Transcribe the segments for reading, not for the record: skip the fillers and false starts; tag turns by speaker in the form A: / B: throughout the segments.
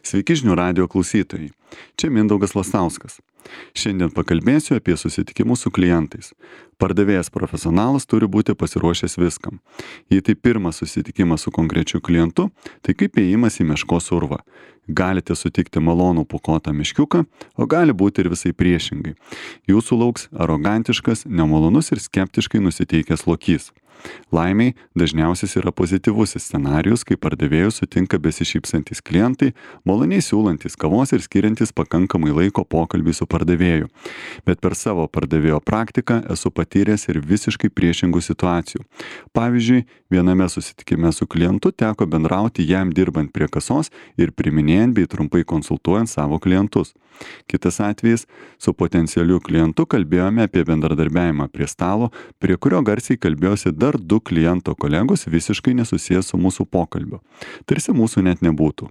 A: Sveiki žinių radijo klausytojai. Čia Mindaugas Lastauskas. Šiandien pakalbėsiu apie susitikimus su klientais. Pardavėjas profesionalas turi būti pasiruošęs viskam. Jei tai pirmas susitikimas su konkrečiu klientu, tai kaip ėjimas į meškos urvą. Galite sutikti malonų pūkuotą meškiuką, o gali būti ir visai priešingai. Jūsų lauks arogantiškas, nemalonus ir skeptiškai nusiteikęs lokys. Laimiai dažniausias yra pozityvusis scenarijus, kai pardavėjus sutinka besišypsantys klientai, maloniai siūlantys kavos ir skiriantys pakankamai laiko pokalbį su pardavėju. Bet per savo pardavėjo praktiką esu patyręs ir visiškai priešingų situacijų. Pavyzdžiui, viename susitikime su klientu teko bendrauti jam dirbant prie kasos ir priminėjant bei trumpai konsultuojant savo klientus. Kitas atvejis, su potencialiu klientu kalbėjome apie bendradarbiavimą prie stalo, prie kurio garsiai kalbėjosi dar 2 kliento kolegos visiškai nesusijęs su mūsų pokalbiu. Tarsi mūsų net nebūtų.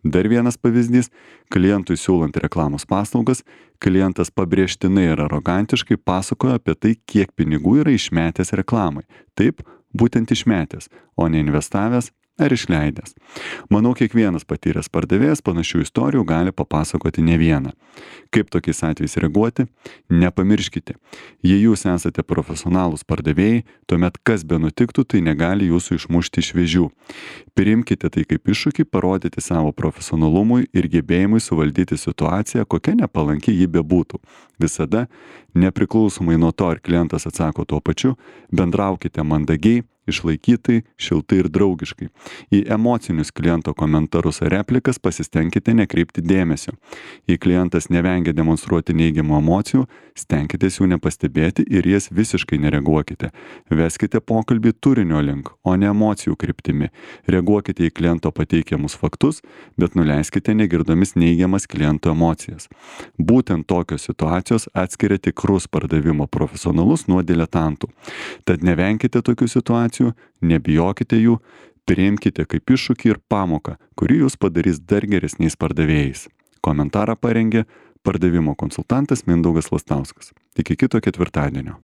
A: Dar vienas pavyzdys, klientui siūlant reklamos paslaugas, klientas pabrėžtinai ir arogantiškai pasakojo apie tai, kiek pinigų yra išmetęs reklamai. Taip, būtent išmetęs, o ne investavęs ar išleidęs. Manau, kiekvienas patyręs pardavėjas panašių istorijų gali papasakoti ne vieną. Kaip tokiais atvejais reaguoti? Nepamirškite, jei jūs esate profesionalūs pardavėjai, tuomet kas be nutiktų, tai negali jūsų išmušti iš vėžių. Priimkite tai kaip iššūkį parodyti savo profesionalumui ir gebėjimui suvaldyti situaciją, kokia nepalanki ji bebūtų. Visada, nepriklausomai nuo to, ar klientas atsako tuo pačiu, bendraukite mandagiai, išlaikytai, šiltai ir draugiškai. Į emocinius kliento komentarus ar replikas pasistengkite nekreipti dėmesio. Jei klientas nevengia demonstruoti neigiamų emocijų, stenkitės jų nepastebėti ir jas visiškai nereaguokite. Veskite pokalbį turinio link, o ne emocijų kryptimi. Reaguokite į kliento pateikiamus faktus, bet nuleiskite negirdomis neigiamas kliento emocijas. Būtent tokios situacijos atskiria tikrus pardavimo profesionalus nuo diletantų. Tad nevenkite tokių situacijų, nebijokite jų, priimkite kaip iššūkį ir pamoką, kuri jūs padarys dar geresniais pardavėjais. Komentarą parengė pardavimo konsultantas Mindaugas Lastauskas. Iki kito ketvirtadienio.